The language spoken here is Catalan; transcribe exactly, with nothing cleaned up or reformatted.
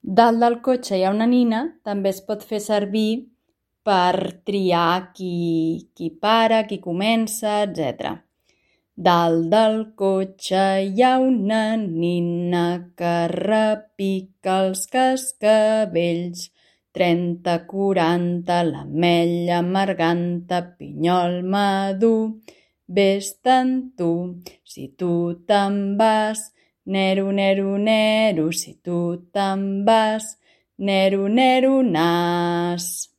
Dalt del cotxe hi ha una nina també es pot fer servir per triar qui, qui para, qui comença, etcètera. Dalt del cotxe hi ha una nina que repica els cascavells. Trenta, quaranta, l'ametlla, marganta, pinyol madur. Vés-te'n tu, si tu te'n vas. Nero, nero, nero, si tu te'n vas. Nero, nero, nas.